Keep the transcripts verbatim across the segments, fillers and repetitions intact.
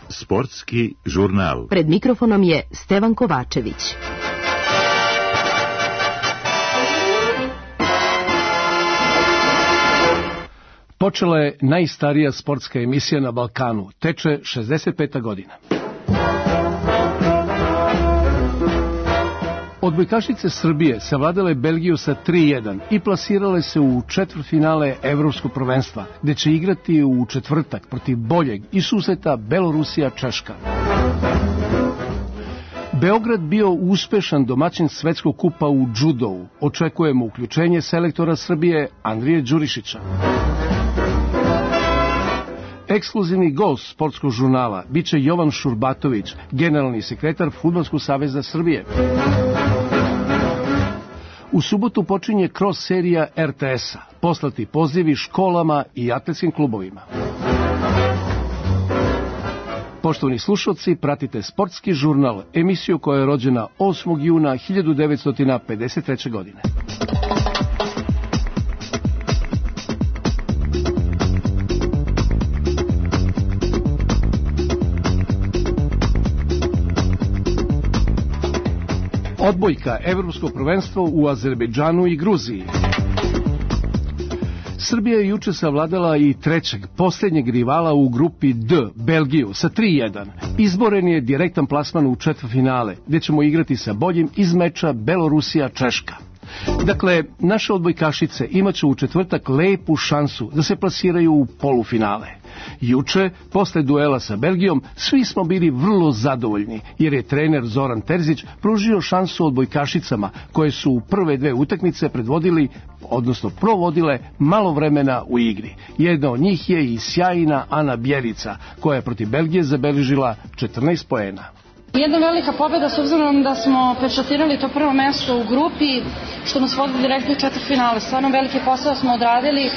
Sportski žurnal. Pred mikrofonom je Stevan Kovačević. Počela je najstarija sportska emisija na Balkanu. Teče šezdeset peta godina. Odbojkašice Srbije savladale Belgiju sa tri jedan i plasirale se u četvrtfinale Evropskog prvenstva, gde će igrati u četvrtak protiv boljeg i susreta Belorusija-Češka. Beograd bio uspešan domaćin svetskog kupa u džudovu. Očekujemo uključenje selektora Srbije Andrije Đurišića. Ekskluzivni gost sportskog žurnala biće Jovan Šurbatović, generalni sekretar Fudbalskog saveza Srbije. U subotu počinje cross serija er te es-a, poslati pozivi školama i atletskim klubovima. Poštovani slušalci, pratite Sportski žurnal, emisiju koja je rođena osmog juna hiljadu devetsto pedeset treće. godine. Odbojka, Evropsko prvenstvo u Azerbejdžanu i Gruziji. Srbija je juče savladala i trećeg, posljednjeg rivala u grupi D, Belgiju, sa tri jedan. Izboren je direktan plasman u četvrtfinale, gde ćemo igrati sa boljim iz meča Belorusija-Češka. Dakle, naše odbojkašice imaće u četvrtak lepu šansu da se plasiraju u polufinale. Juče, posle duela sa Belgijom, svi smo bili vrlo zadovoljni, jer je trener Zoran Terzić pružio šansu odbojkašicama, koje su u prve dve utakmice predvodili, odnosno provodile malo vremena u igri. Jedna od njih je i sjajna Ana Bjelica, koja je protiv Belgije zabeležila četrnaest poena. Jedna velika pobjeda s obzirom da smo pečatirali to prvo mesto u grupi, što nas vodi direktno u četvrtfinale. Stvarno veliki posao smo odradili,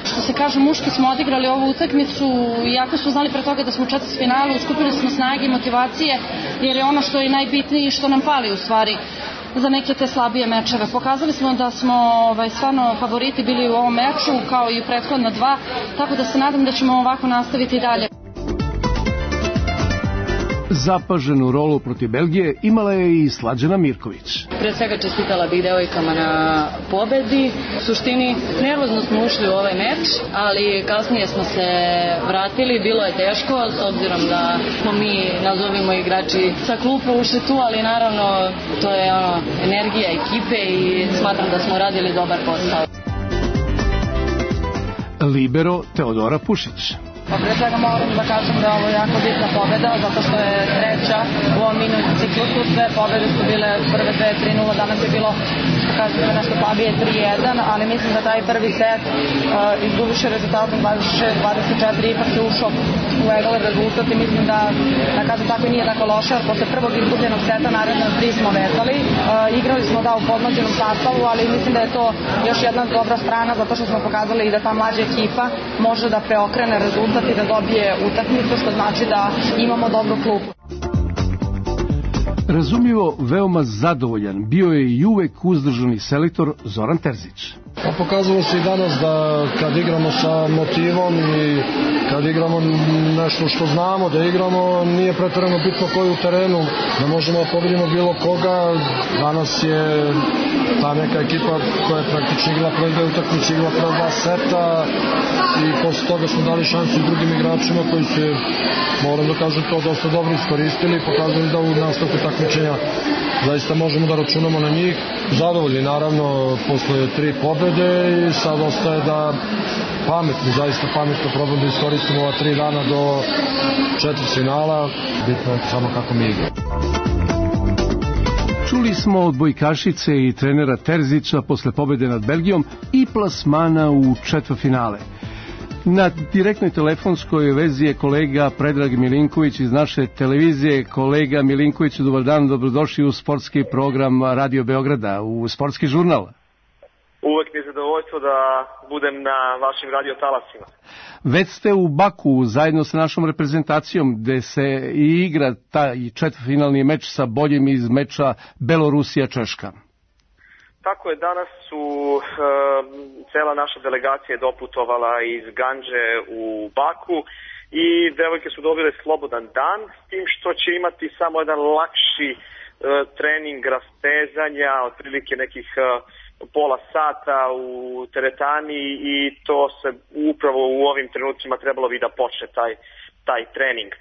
što se kaže, muški smo odigrali ovu utakmicu, iako smo znali pre toga da smo u četvrtfinalu, skupili smo snage i motivacije, jer je ono što je najbitnije i što nam fali u stvari za neke te slabije mečeve. Pokazali smo da smo ovaj, stvarno favoriti bili u ovom meču, kao i u prethodna dva, tako da se nadam da ćemo ovako nastaviti i dalje. Zapaženu rolu protiv Belgije imala je i Slađana Mirković. Pre svega čestitala bih devojkama na pobedi. U suštini, nervozno smo ušli u ovaj meč, ali kasnije smo se vratili. Bilo je teško, s obzirom da smo mi, nazovimo igrači, sa klupa ušli tu, ali naravno to je ono, energija ekipe i smatram da smo radili dobar posao. Libero Teodora Pušić. Pa pre svega moram da kažem da je ovo jako bitna pobjeda, zato što je treća u ovom mini ciklusu. Sve pobjede su bile prve dve tri nula, danas je bilo, što kažete, nešto slabije tri jedan, ali mislim da taj prvi set uh, izgubiše rezultatom dvadeset šest dvadeset četiri, ipak se ušao u egalan rezultat i mislim da, da kažem tako, nije tako loše, jer posle prvog izgubljenog seta naredno tri smo vezali. Uh, igrali smo da u podmlađenom sastavu, ali mislim da je to još jedna dobra strana, zato što smo pokazali i da ta mlađa ekipa može da preokrene rezultat i da dobije utakmicu, što znači da imamo dobru klupu. Razumljivo, veoma zadovoljan bio je i uvek uzdržani selektor Zoran Terzić. Pa pokazalo se i danas da kad igramo sa motivom i kad igramo nešto što znamo da igramo, nije pretjerano bitno koji u terenu, da možemo da pobedimo bilo koga. Danas je ta neka ekipa koja je praktično igrala prve dve utakmice, igrala prve dva seta i posle toga smo dali šansu i drugim igračima koji se, moram da kažem, to dosta dobro iskoristili i pokazali da u nastavku takmičenja zaista možemo da računamo na njih. Zadovoljni naravno posle tri pobede i sad ostaje da pametno, zaista pametno probamo da iskoristimo ova tri dana do četvrtfinala. Bitno je samo kako mi igramo. Čuli smo od odbojkašice i trenera Terzića posle pobede nad Belgijom i plasmana u četvrtfinale. Na direktnoj telefonskoj vezi je kolega Predrag Milinković iz naše televizije. Kolega Milinković, dobar dan, dobrodošli u sportski program Radio Beograda, u Sportski žurnal. Uvek mi je zadovoljstvo da budem na vašim radio talasima. Već ste u Baku zajedno sa našom reprezentacijom, gde se i igra taj četvrtfinalni meč sa boljim iz meča Belorusija-Češka. Tako je, danas su e, cela naša delegacija doputovala iz Gandže u Baku i devojke su dobile slobodan dan, s tim što će imati samo jedan lakši e, trening rastezanja, otprilike nekih e, pola sata u teretani i to se upravo u ovim trenucima trebalo bi da počne taj, taj trening. E,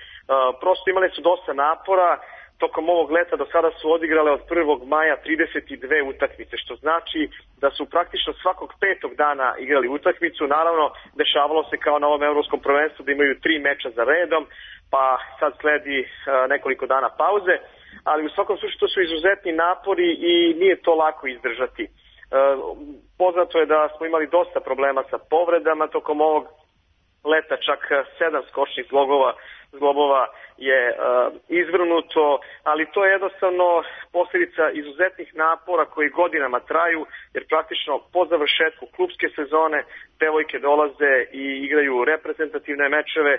prosto imali su dosta napora. Tokom ovog leta do sada su odigrale od prvog maja trideset dve utakmice, što znači da su praktično svakog petog dana igrali utakmicu. Naravno, dešavalo se kao na ovom evropskom prvenstvu da imaju tri meča za redom, pa sad sledi uh, nekoliko dana pauze, ali u svakom slučaju to su izuzetni napori i nije to lako izdržati. Uh, poznato je da smo imali dosta problema sa povredama tokom ovog leta, čak sedam skočnih zglobova, zglobova je uh, izvrnuto, ali to je jednostavno posljedica izuzetnih napora koji godinama traju, jer praktično po završetku klubske sezone devojke dolaze i igraju reprezentativne mečeve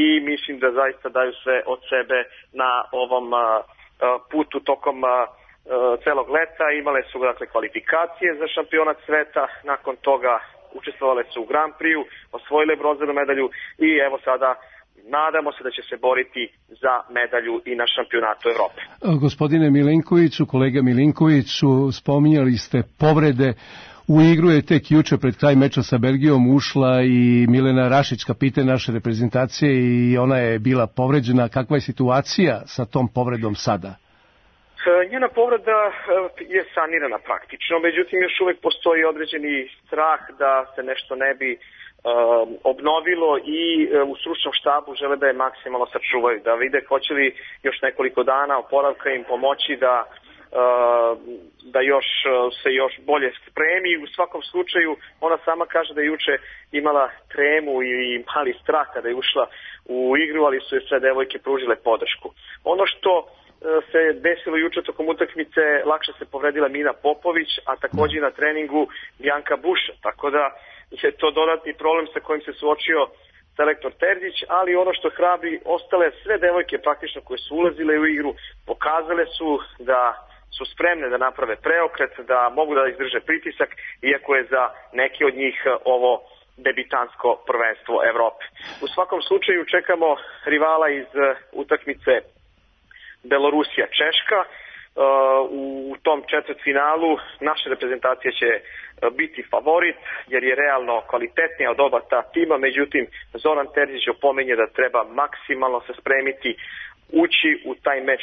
i mislim da zaista daju sve od sebe na ovom uh, putu tokom uh, celog leta. Imale su dakle kvalifikacije za šampionat sveta, nakon toga učestvovale su u Grand Prix-u, osvojile bronzanu medalju i evo sada nadamo se da će se boriti za medalju i na šampionatu Evrope. Gospodine Milinkoviću, kolega Milinkoviću, spominjali ste povrede. U igru je tek juče pred kraj meča sa Belgijom ušla i Milena Rašić, kapiten naše reprezentacije, i ona je bila povređena. Kakva je situacija sa tom povredom sada? Njena povreda je sanirana praktično, međutim još uvek postoji određeni strah da se nešto ne bi uh, obnovilo i uh, u stručnom štabu žele da je maksimalno sačuvaju, da vide hoće li još nekoliko dana oporavka im pomoći da uh, da još se još bolje spremi. U svakom slučaju ona sama kaže da je juče imala tremu i mali strah kada je ušla u igru, ali su je sve devojke pružile podršku. Ono što se desilo juče tokom utakmice, lakše se povredila Mina Popović, a također na treningu Bjanka Buša, tako da je to dodatni problem sa kojim se suočio selektor Terzić, ali ono što hrabri, ostale sve devojke praktično koje su ulazile u igru, pokazale su da su spremne da naprave preokret, da mogu da izdrže pritisak, iako je za neke od njih ovo debitansko prvenstvo Evrope. U svakom slučaju čekamo rivala iz utakmice Belorusija Češka. U tom četvrtfinalu naša reprezentacija će biti favorit jer je realno kvalitetnija od oba ta tima, međutim Zoran Terzić opominje da treba maksimalno se spremiti, ući u taj meč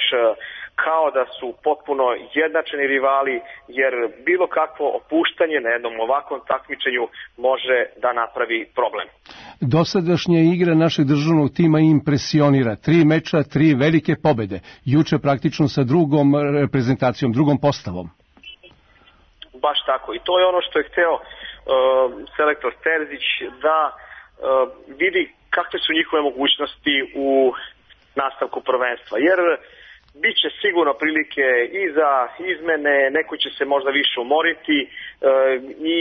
kao da su potpuno jednačeni rivali, jer bilo kakvo opuštanje na jednom ovakvom takmičenju može da napravi problem. Dosadašnja igra našeg državnog tima impresionira. Tri meča, tri velike pobede. Juče praktično sa drugom reprezentacijom, drugom postavom. Baš tako. I to je ono što je hteo uh, selektor Terzić, da uh, vidi kakve su njihove mogućnosti u nastavku prvenstva. Jer bit će sigurno prilike i za izmene, neko će se možda više umoriti uh, i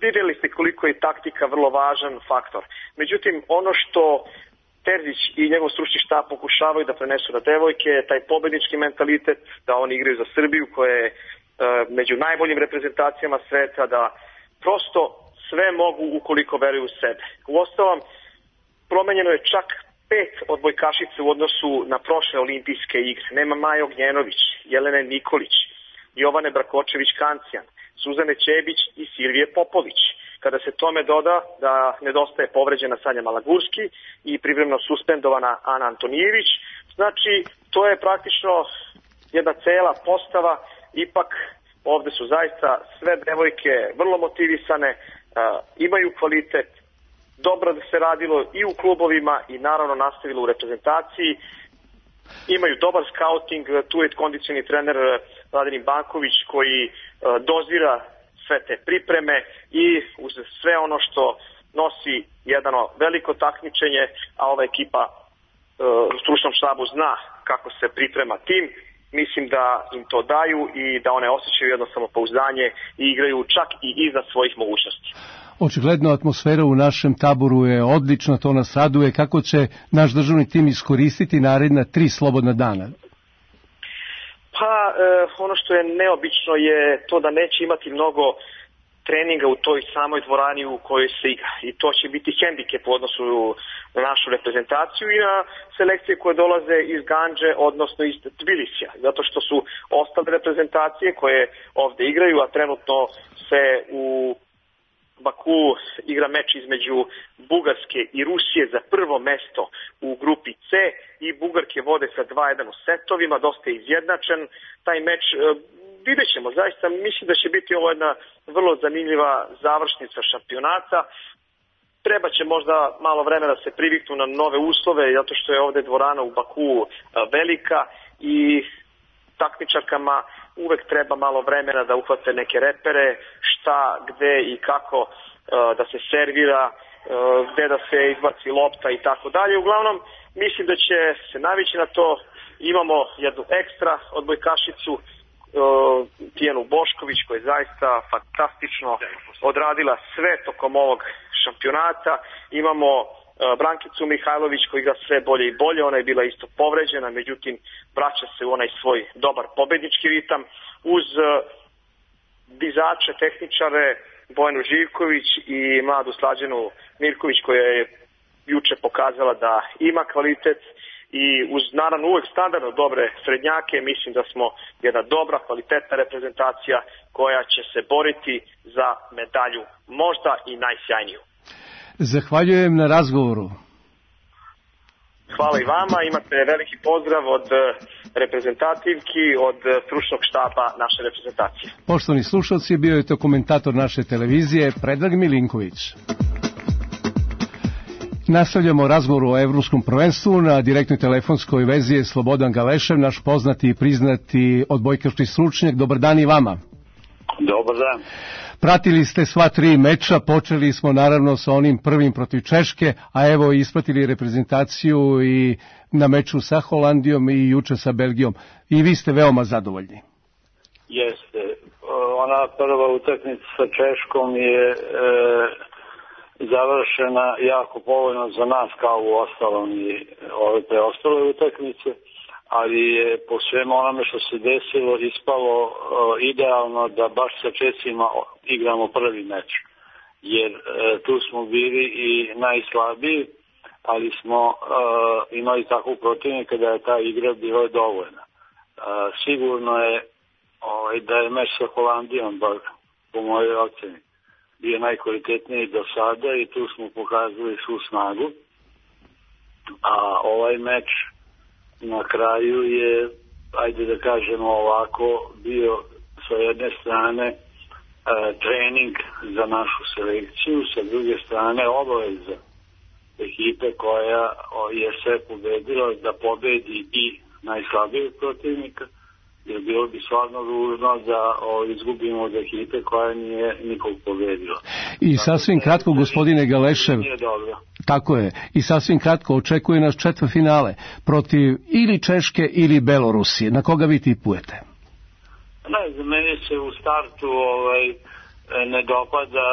vidjeli ste koliko je taktika vrlo važan faktor. Međutim, ono što Terzić i njegov stručni štab pokušavaju da prenesu na devojke, taj pobednički mentalitet, da oni igraju za Srbiju koja je e, među najboljim reprezentacijama sveta, da prosto sve mogu ukoliko veruju u sebe. Uostalom, promenjeno je čak pet odbojkašice u odnosu na prošle olimpijske igre. Nema Maja Ognjenović, Jelene Nikolić, Jovane Brakočević-Kancijan, Suzane Ćebić i Silvije Popović. Kada se tome doda da nedostaje povređena Sanja Malagurski i privremeno suspendovana Ana Antonijević, znači to je praktično jedna cela postava. Ipak ovde su zaista sve devojke vrlo motivisane, uh, imaju kvalitet, dobro da se radilo i u klubovima i naravno nastavilo u reprezentaciji. Imaju dobar skauting, tu je kondicioni trener Vladimir Banković koji uh, dozira sve te pripreme i uz sve ono što nosi jedno veliko takmičenje, a ova ekipa uh, u stručnom štabu zna kako se priprema tim, mislim da im to daju i da one osjećaju jedno samopouzdanje i igraju čak i iznad svojih mogućnosti. Očigledno atmosfera u našem taboru je odlična, to nas raduje. Kako će naš državni tim iskoristiti naredna tri slobodna dana? Pa Pa e, ono što je neobično je to da neće imati mnogo treninga u toj samoj dvorani u kojoj se igra. I to će biti hendikep u odnosu na našu reprezentaciju i na selekcije koje dolaze iz Gandže, odnosno iz Tbilisija. Zato što su ostale reprezentacije koje ovde igraju, a trenutno se u Baku igra meč između Bugarske i Rusije za prvo mesto u grupi C i Bugarke vode sa dva jedan u setovima, dosta je izjednačen taj meč. Vidjet ćemo, zaista mislim da će biti ovo jedna vrlo zanimljiva završnica šampionata. Treba će možda malo vremena da se priviknu na nove uslove, zato što je ovde dvorana u Baku velika i takmičarkama uvek treba malo vremena da uhvate neke repere, šta, gde i kako da se servira, gde da se izbaci lopta i tako dalje. Uglavnom, mislim da će se navići na to. Imamo jednu ekstra odbojkašicu, Tijanu Bošković, koja je zaista fantastično odradila sve tokom ovog šampionata. Imamo Brankicu Mihajlović koja igra sve bolje i bolje, ona je bila isto povređena, međutim vraća se u onaj svoj dobar pobednički ritam. Uz dizače, tehničare Bojanu Živković i mladu Slađanu Mirković koja je juče pokazala da ima kvalitet i uz naravno uvek standardno dobre srednjake, mislim da smo jedna dobra, kvalitetna reprezentacija koja će se boriti za medalju, možda i najsjajniju. Zahvaljujem na razgovoru. Hvala i vama, imate veliki pozdrav od reprezentativki, od stručnog štaba naše reprezentacije. Poštovani slušalci, bio je to komentator naše televizije Predrag Milinković. Nastavljamo razgovor o evropskom prvenstvu. Na direktnoj telefonskoj vezi je Slobodan Galešev, naš poznati i priznati odbojkaški stručnjak. Dobar dan i vama. Dobar dan. Pratili ste sva tri meča, počeli smo naravno sa onim prvim protiv Češke, a evo ispratili reprezentaciju i na meču sa Holandijom i juče sa Belgijom. I vi ste veoma zadovoljni. Jeste. Ona prva utakmica sa Češkom je e, završena jako povoljno za nas kao u ostalom i ove preostale utakmice, ali je po svemu onome što se desilo ispalo uh, idealno da baš sa Česima igramo prvi meč. Jer uh, tu smo bili i najslabiji, ali smo uh, imali takvu protivnika da je ta igra bila dovoljna. Uh, sigurno je ovaj, da je meč sa Holandijom, bar po mojoj oceni, bio najkvalitetniji do sada i tu smo pokazali svu snagu. A ovaj meč na kraju je, ajde da kažemo ovako, bio sa jedne strane e, trening za našu selekciju, sa druge strane obaveza ekipe koja je sve pobedila da pobedi i najslabijeg protivnika, jer bilo bi stvarno ružno da o, izgubimo od ekipe koja nije nikog pobedila. I sasvim kratko, gospodine Galešev, tako je, i sasvim kratko očekuje nas četvrtfinale protiv ili Češke ili Belorusije. Na koga vi tipujete? Ne, za mene se u startu ovaj, ne dopada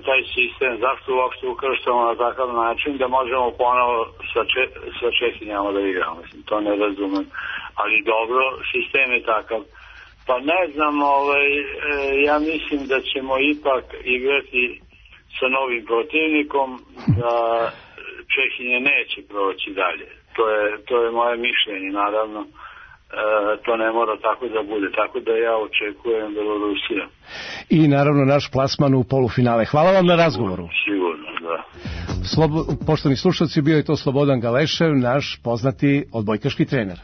taj sistem. Zašto uopšte ukrštamo na takav način da možemo ponovo sa, če, sa Čehinjama da igramo? Mislim, to ne razumem. Ali dobro, sistem je takav. Pa ne znam, ovaj, ja mislim da ćemo ipak igrati sa novim protivnikom, da Čehinje neće proći dalje. To je, to je moje mišljenje, naravno. E, to ne mora tako da bude. Tako da ja očekujem Belorusija. I naravno naš plasman u polufinale. Hvala vam na razgovoru. Sigurno, da. Slobo, poštovani slušalci, bio je to Slobodan Galešev, naš poznati odbojkaški trener.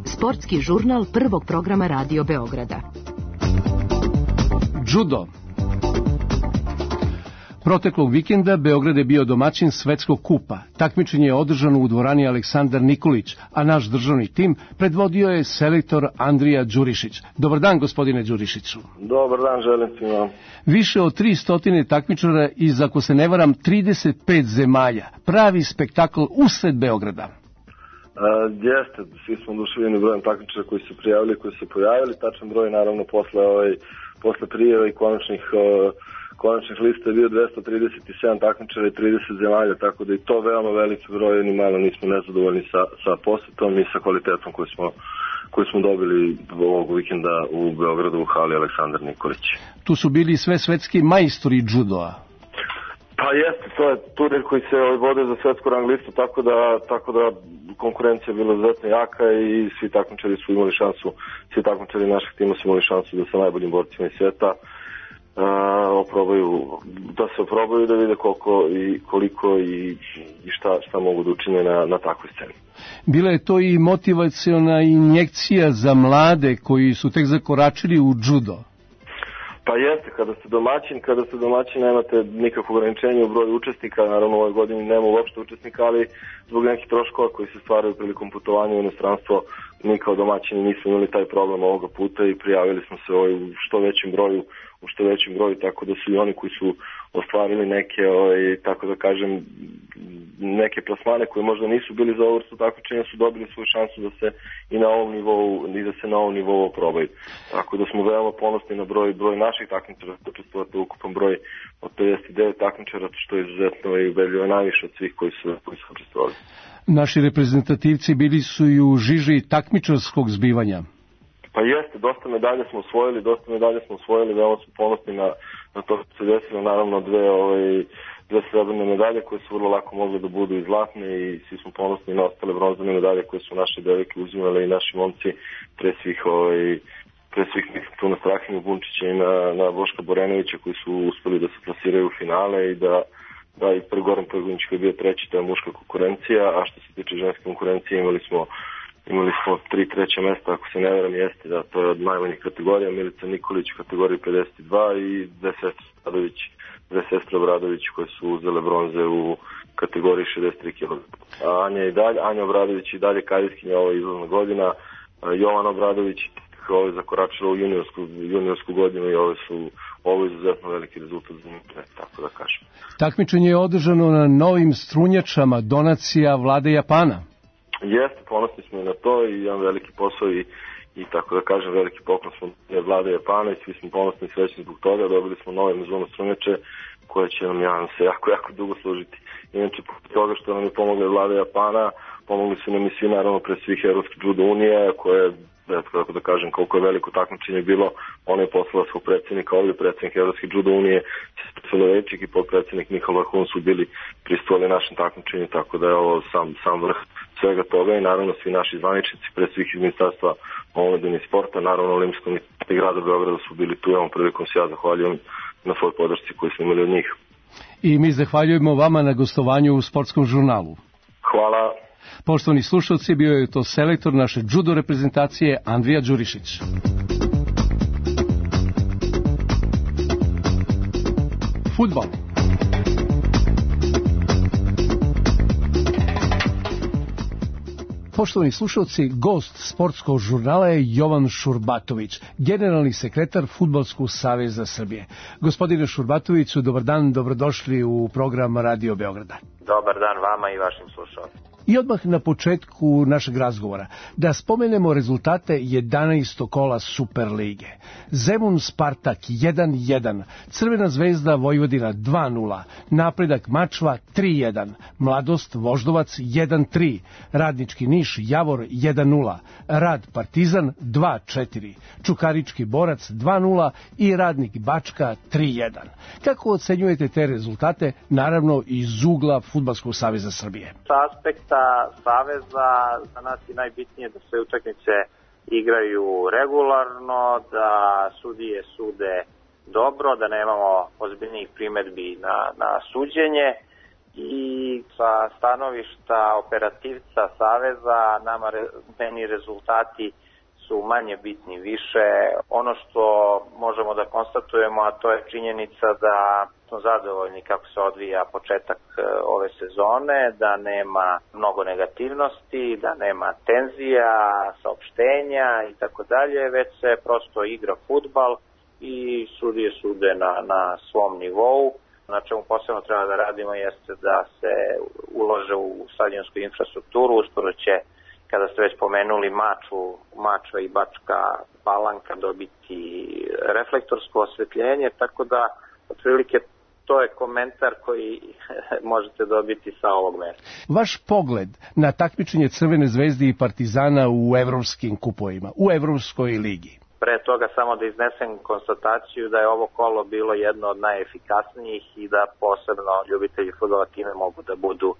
Sportski žurnal prvog programa Radio Beograda. Judo. Proteklog vikenda Beograd je bio domaćin svetskog kupa. Takmičenje je održano u dvorani Aleksandar Nikolić, a naš državni tim predvodio je selektor Andrija Đurišić. Dobar dan, gospodine Đurišiću. Dobar dan, želim svima. Više od tristo takmičara iz, ako se ne varam, trideset pet zemalja. Pravi spektakl usred Beograda. Uh, jeste, svi smo oduševljeni brojem takmičara koji su prijavili, koji su pojavili, tačan broj naravno posle, ovaj, posle prijave i konačnih, uh, konačnih lista je bio dvesta trideset sedam takmičara i trideset zemalja, tako da i to veoma veliki broj, ni malo nismo nezadovoljni sa, sa posetom i sa kvalitetom koju smo, koju smo dobili ovog vikenda u Beogradu u hali Aleksandar Nikolić. Tu su bili sve svetski majstori judoa. Pa jeste, to je turnir koji se vode za svetsku rang listu, tako da, tako da konkurencija je bila izuzetno jaka i svi takmičari su imali šansu, svi takmičari naših tima su imali šansu da sa najboljim borcima iz sveta uh, oprobaju, da se oprobaju, da vide koliko i koliko i, i šta, šta mogu da učine na, na takvoj sceni. Bila je to i motivaciona injekcija za mlade koji su tek zakoračili u judo. Pa jeste, kada ste domaćin, kada ste domaćin nemate nikakvo ograničenje u broju učesnika, naravno u ovoj godini nema uopšte učesnika, ali zbog nekih troškova koji se stvaraju prilikom putovanja u inostranstvo, mi kao domaćini nismo imali taj problem ovoga puta i prijavili smo se ovaj, u što većem broju, u što većem broju, tako da su i oni koji su ostvarili neke, ovaj, tako da kažem, neke plasmane koje možda nisu bili za ovo vrstu takmičenja su dobili svoju šansu da se i na ovom nivou, i da se na ovom nivou oprobaju. Tako da smo veoma ponosni na broj, broj naših takmičara, da učestvovate ukupan broj od pedeset devet takmičara, što je izuzetno i ubedljivo najviše od svih koji su, koji su učestvovali. Naši reprezentativci bili su i u žiži takmičarskog zbivanja. Pa jeste, dosta medalje smo osvojili, dosta medalje smo osvojili, veoma smo ponosni na, na to što se desilo, naravno dve, ovaj, dve srebrne medalje koje su vrlo lako mogle da budu i zlatne i svi smo ponosni na ostale bronzane medalje koje su naše devojke uzimale i naši momci, pre svih, ovaj, pre svih tu na Strahinju Bunčića i na, na Boška Borenovića koji su uspeli da se plasiraju u finale i da da i pre Goran Pojgunić koji je bio treći, to je muška konkurencija, a što se tiče ženske konkurencije imali smo imali smo tri treća mesta, ako se ne veram jeste, da to je od najmanjih kategorija, Milica Nikolić u kategoriji pedeset dva i dve sestre Obradović, dve sestre Obradović koje su uzele bronze u kategoriji šezdeset tri kilograma. A Anja i dalje, Anja Obradović i dalje karijskinja, ovo je izlazna godina, Jovan Obradović ovo je zakoračila u juniorsku, juniorsku godinu i ovo su ovo je izuzetno veliki rezultat za njih, tako da kažem. Takmičenje je održano na novim strunjačama, donacija vlade Japana. Jeste, ponosni smo i na to i jedan veliki posao i, i tako da kažem veliki poklon smo vlade Japana i svi smo ponosni i srećni zbog toga. Dobili smo nove mezone strunjače koje će nam, ja se, jako, jako dugo služiti. Inače, po toga što nam je pomogla vlada Japana, pomogli su nam i svi, naravno, pre svih Evropske judo unije, koje, tako da kažem, koliko je veliko takmičenje bilo, ona je poslala svog predsjednika, ovdje predsjednik Evropske judo unije, Sesvelovečik i podpredsjednik Nikola Hun su bili pristovali našem takmičenju, tako da je ovo sam, sam vrh svega toga i naravno svi naši zvaničnici, pre svih iz Ministarstva omladine i sporta, naravno Olimpijskog i grada Beograda su bili tu, ovom prilikom se ja zahvaljujem na svoj podršci koju smo imali od njih. I mi zahvaljujemo vama na gostovanju u Sportskom žurnalu. Hvala. Poštovani slušalci, bio je to selektor naše judo reprezentacije Andrija Đurišić. Fudbal. Poštovani slušalci, gost Sportskog žurnala je Jovan Šurbatović, generalni sekretar Fudbalskog saveza Srbije. Gospodine Šurbatoviću, dobar dan, dobrodošli u program Radio Beograda. Dobar dan vama i vašim slušalcima. I odmah na početku našeg razgovora da spomenemo rezultate jedanaestog kola Superlige. Zemun Spartak jedan jedan, Crvena zvezda Vojvodina dva nula, Napredak Mačva tri jedan, Mladost Voždovac jedan tri, Radnički Niš Javor jedan nula, Rad Partizan dva četiri, Čukarički Borac dva nula i Radnik Bačka tri jedan. Kako ocenjujete te rezultate, naravno iz ugla Fudbalskog saveza Srbije? Sa aspekta saveza za nas je najbitnije da sve utakmice igraju regularno, da sudije sude dobro, da nemamo ozbiljnih primedbi na, na suđenje i sa stanovišta operativca saveza nama re, meni rezultati su manje bitni više. Ono što možemo da konstatujemo, a to je činjenica da smo zadovoljni kako se odvija početak ove sezone, da nema mnogo negativnosti, da nema tenzija, saopštenja i tako dalje, već se prosto igra fudbal i sudije sude na, na svom nivou. Na čemu posebno treba da radimo jeste da se ulože u stadionsku infrastrukturu, uskoro će, kada ste već pomenuli Maču, Mačva i Bačka Palanka dobiti reflektorsko osvetljenje, tako da otprilike to je komentar koji možete dobiti sa ovog mesta. Vaš pogled na takmičenje Crvene zvezde i Partizana u evropskim kupovima, u Evropskoj ligi? Pre toga samo da iznesem konstataciju da je ovo kolo bilo jedno od najefikasnijih i da posebno ljubitelji fudbala time mogu da budu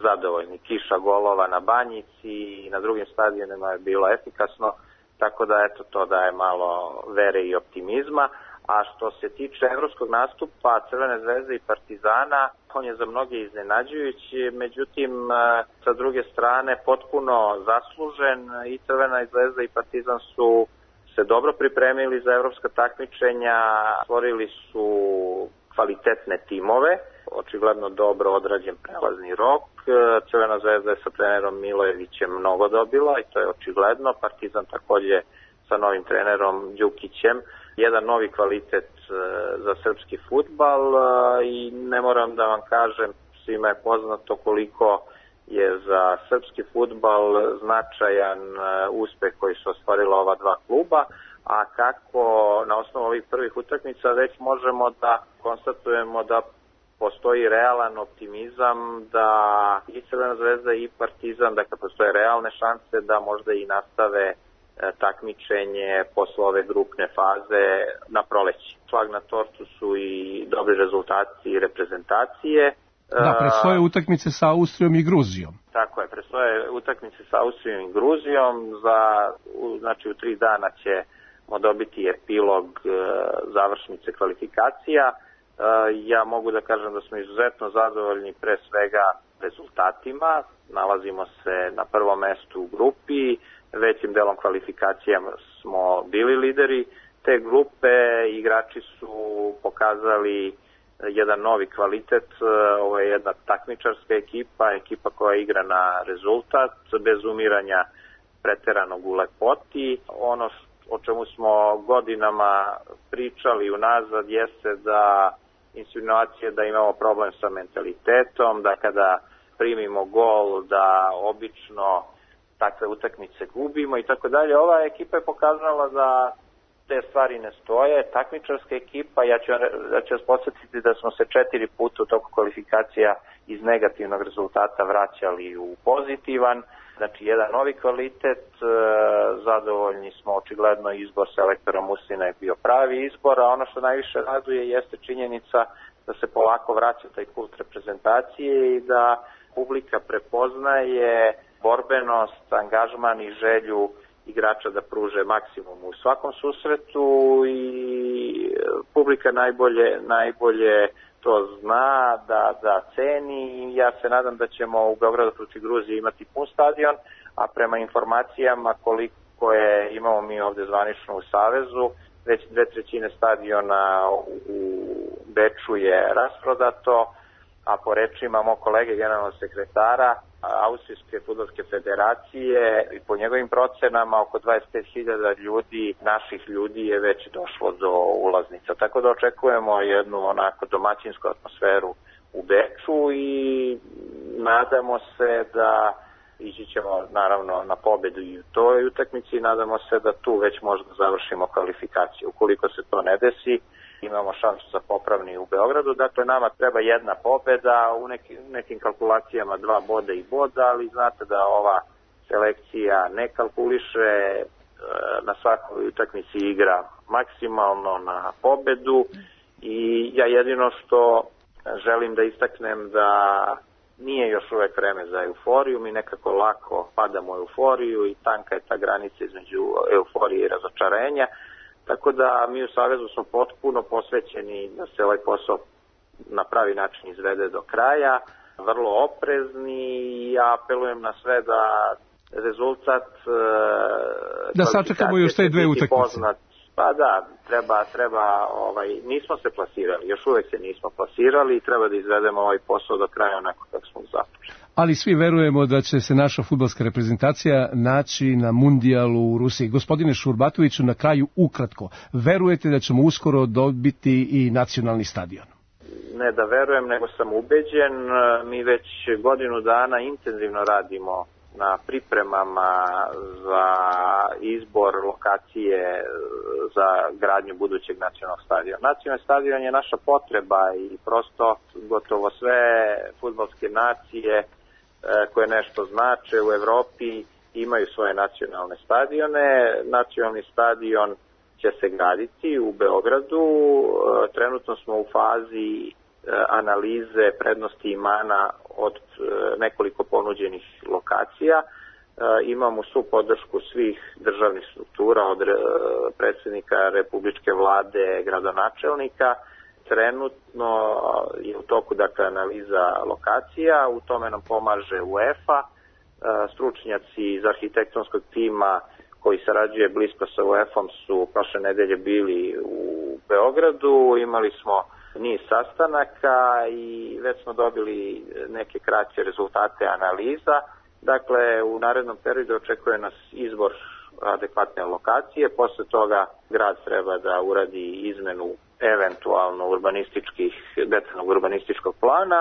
zadovoljni. Kiša golova na Banjici i na drugim stadionima je bilo efikasno, tako da eto to daje malo vere i optimizma. A što se tiče evropskog nastupa Crvene zvezde i Partizana, on je za mnoge iznenađujući, međutim sa druge strane potpuno zaslužen. I Crvena zvezda i Partizan su se dobro pripremili za evropska takmičenja, stvorili su kvalitetne timove, očigledno dobro odrađen prelazni rok. Crvena zvezda je sa trenerom Milojevićem mnogo dobila i to je očigledno. Partizan takođe sa novim trenerom Đukićem. Jedan novi kvalitet za srpski fudbal i ne moram da vam kažem, svima je poznato koliko je za srpski fudbal značajan uspeh koji su ostvarila ova dva kluba, a kako na osnovu ovih prvih utakmica već možemo da konstatujemo da postoji realan optimizam da i Crvena zvezda i Partizan, dakle postoje realne šanse da možda i nastave takmičenje posle ove grupne faze na proleći. Šlag na tortu su i dobri rezultati i reprezentacije. Da, predstoje utakmice sa Austrijom i Gruzijom. Tako je, predstoje utakmice sa Austrijom i Gruzijom. Za, znači u tri dana ćemo dobiti epilog e, završnice kvalifikacija. E, ja mogu da kažem da smo izuzetno zadovoljni pre svega rezultatima. Nalazimo se na prvom mestu u grupi. Većim delom kvalifikacija smo bili lideri te grupe. Igrači su pokazali jedan novi kvalitet. Ovo je jedna takmičarska ekipa, ekipa koja igra na rezultat, bez umiranja preteranog u lepoti. Ono o čemu smo godinama pričali unazad jeste da insinuacije da imamo problem sa mentalitetom, da kada primimo gol da obično takve utakmice gubimo i tako dalje. Ova ekipa je pokazala da te stvari ne stoje. Takmičarska ekipa, ja ću, ja ću vas podsjetiti da smo se četiri puta u toku kvalifikacija iz negativnog rezultata vraćali u pozitivan. Znači, jedan novi kvalitet, zadovoljni smo, očigledno izbor selektora Muslina je bio pravi izbor, a ono što najviše raduje jeste činjenica da se polako vraća taj kult reprezentacije i da publika prepoznaje borbenost, angažman i želju igrača da pruže maksimum u svakom susretu i publika najbolje, najbolje to zna da, da ceni i ja se nadam da ćemo u Beogradu protiv Gruzije imati pun stadion, a prema informacijama koliko je imamo mi ovde zvanično u Savezu, već dve trećine stadiona u Beču je rasprodato, a po rečima mog kolege generalnog sekretara Austrijske fudbalske federacije i po njegovim procenama oko dvadeset pet hiljada ljudi, naših ljudi je već došlo do ulaznica. Tako da očekujemo jednu onako domaćinsku atmosferu u Beču i nadamo se da ići ćemo naravno na pobedu i u toj utakmici i nadamo se da tu već možda završimo kvalifikaciju. Ukoliko se to ne desi, imamo šansu za popravni u Beogradu. Dakle, nama treba jedna pobeda, u nekim, nekim kalkulacijama dva boda i boda, ali znate da ova selekcija ne kalkuliše, na svakoj utakmici igra maksimalno na pobedu i ja jedino što želim da istaknem da nije još uvek vreme za euforiju, mi nekako lako padamo u euforiju i tanka je ta granica između euforije i razočarenja. Tako da mi u Savezu smo potpuno posvećeni da se ovaj posao na pravi način izvede do kraja, vrlo oprezni i ja apelujem na sve da rezultat da sačekamo još te dve utakmice. Pa da, treba, treba ovaj, nismo se plasirali, još uvek se nismo plasirali i treba da izvedemo ovaj posao do kraja onako kako smo započeli. Ali svi verujemo da će se naša fudbalska reprezentacija naći na mundijalu u Rusiji. Gospodine Šurbatoviću, na kraju ukratko, verujete da ćemo uskoro dobiti i nacionalni stadion? Ne da verujem, nego sam ubeđen. Mi već godinu dana intenzivno radimo na pripremama za izbor lokacije za gradnju budućeg nacionalnog stadiona. Nacionalni stadion je naša potreba i prosto gotovo sve fudbalske nacije koje nešto znače u Evropi imaju svoje nacionalne stadione. Nacionalni stadion će se graditi u Beogradu. Trenutno smo u fazi analize prednosti i mana od nekoliko ponuđenih lokacija. Imamo svu podršku svih državnih struktura, od predsjednika Republičke vlade, gradonačelnika. Trenutno je u toku dakle analiza lokacija, u tome nam pomaže UEFA, stručnjaci iz arhitektonskog tima koji sarađuje blisko sa UEFA-om su prošle nedelje bili u Beogradu, imali smo niz sastanaka i već smo dobili neke kraće rezultate analiza. Dakle, u narednom periodu očekuje nas izbor adekvatne lokacije, posle toga grad treba da uradi izmenu eventualno urbanističkih, detaljnog urbanističkog plana,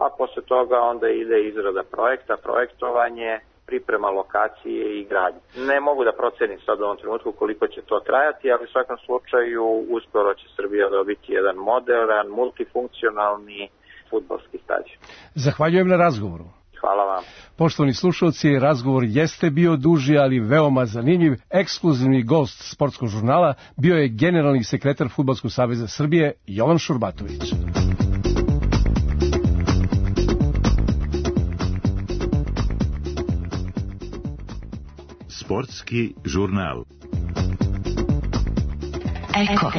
a posle toga onda ide izrada projekta, projektovanje, priprema lokacije i gradnje. Ne mogu da procenim sad u ovom trenutku koliko će to trajati, ali u svakom slučaju uskoro će Srbija dobiti jedan moderan, multifunkcionalni fudbalski stadion. Zahvaljujem na razgovoru. Hvala vam. Poštovani slušalci, razgovor jeste bio duži, ali veoma zanimljiv. Ekskluzivni gost Sportskog žurnala bio je generalni sekretar Fudbalskog saveza Srbije Jovan Šurbatović. Sportski žurnal. Eko.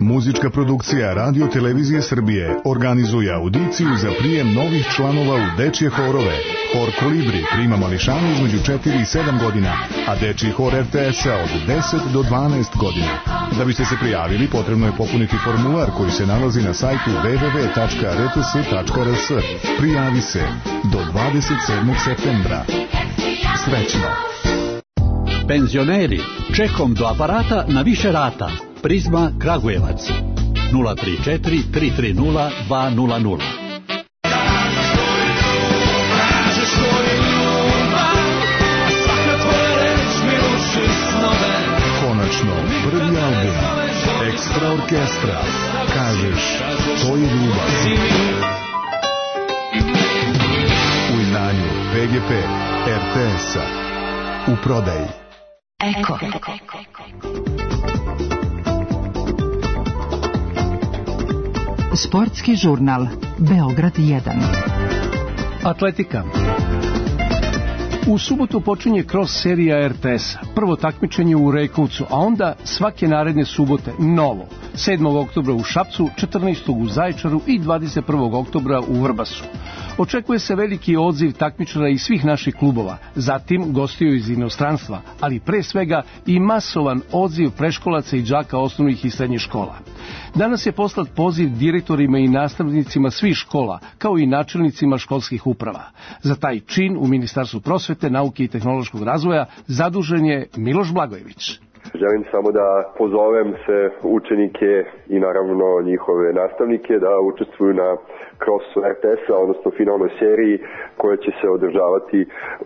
Muzička produkcija Radio Televizije Srbije organizuje audiciju za prijem novih članova u dečje horove. Hor Kolibri prima mališane između četiri i sedam godina, a dečji hor R T S-a od deset do dvanaest godina. Da biste se prijavili, potrebno je popuniti formular koji se nalazi na sajtu w w w tačka r t s tačka r s. Prijavi se do dvadeset sedmog septembra. Srećno! Penzioneri, čekom do aparata na više rata. Prizma Kragujevac nula tri četiri tri tri nula dva nula nula. Konačno, prvi album Ekstra orkestra. Kažeš, to je ljubav. U izdanju P G P R T S-a. U prodaji. Eko. Sportski žurnal Beograd jedan. Atletika. U subotu počinje cross serija R T S. Prvo takmičenje u Rejkovcu, a onda svake naredne subote novo. sedmog oktobra u Šapcu, četrnaestog u Zaječaru i dvadeset prvog oktobra u Vrbasu. Očekuje se veliki odziv takmičara iz svih naših klubova, zatim gostiju iz inostranstva, ali pre svega i masovan odziv preškolaca i đaka osnovnih i srednjih škola. Danas je poslat poziv direktorima i nastavnicima svih škola, kao i načelnicima školskih uprava. Za taj čin u Ministarstvu prosvete, nauke i tehnološkog razvoja zadužen je Miloš Blagojević. Želim samo da pozovem se učenike i naravno njihove nastavnike da učestvuju na crossu R T S-a, odnosno finalnoj seriji koja će se održavati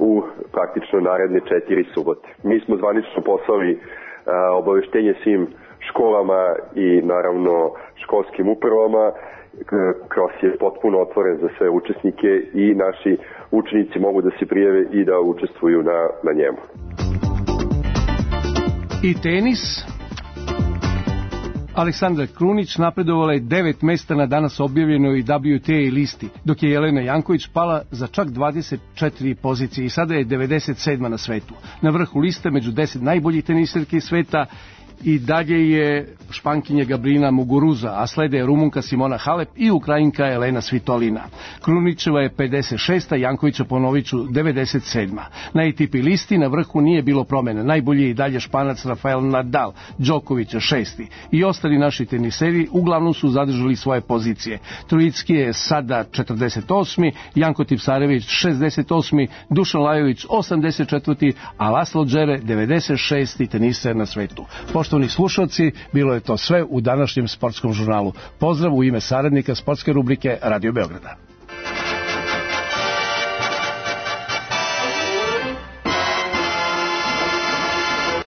u praktično naredne četiri subote. Mi smo zvanično poslali a, obaveštenje svim školama i naravno školskim upravama. Cross je potpuno otvoren za sve učesnike i naši učenici mogu da se prijave i da učestvuju na, na njemu. I tenis. Aleksandra Krunić napredovala je devet mesta na danas objavljenoj W T A listi, dok je Jelena Janković pala za čak dvadeset četiri pozicije i sada je devedeset sedma na svetu. Na vrhu liste među deset najboljih teniserki sveta i dalje je Špankinja Gabrina Muguruza, a slede Rumunka Simona Halep i Ukrajinka Elena Svitolina. Krunićeva je pedeset šesta, Jankovića Ponoviću devedeset sedma. Na A T P listi na vrhu nije bilo promjena. Najbolji je i dalje Španac Rafael Nadal, Đokovića šesti. I ostali naši teniseri uglavnom su zadržali svoje pozicije. Trojicki je sada četrdeset osmi, Janko Tipsarević šezdeset osmi, Dušan Lajović osamdeset četvrti, a Laslo Džere devedeset šesti teniser na svetu. Poštovani slušalci, bilo je to sve u današnjem sportskom žurnalu. Pozdrav u ime saradnika sportske rubrike Radio Beograda.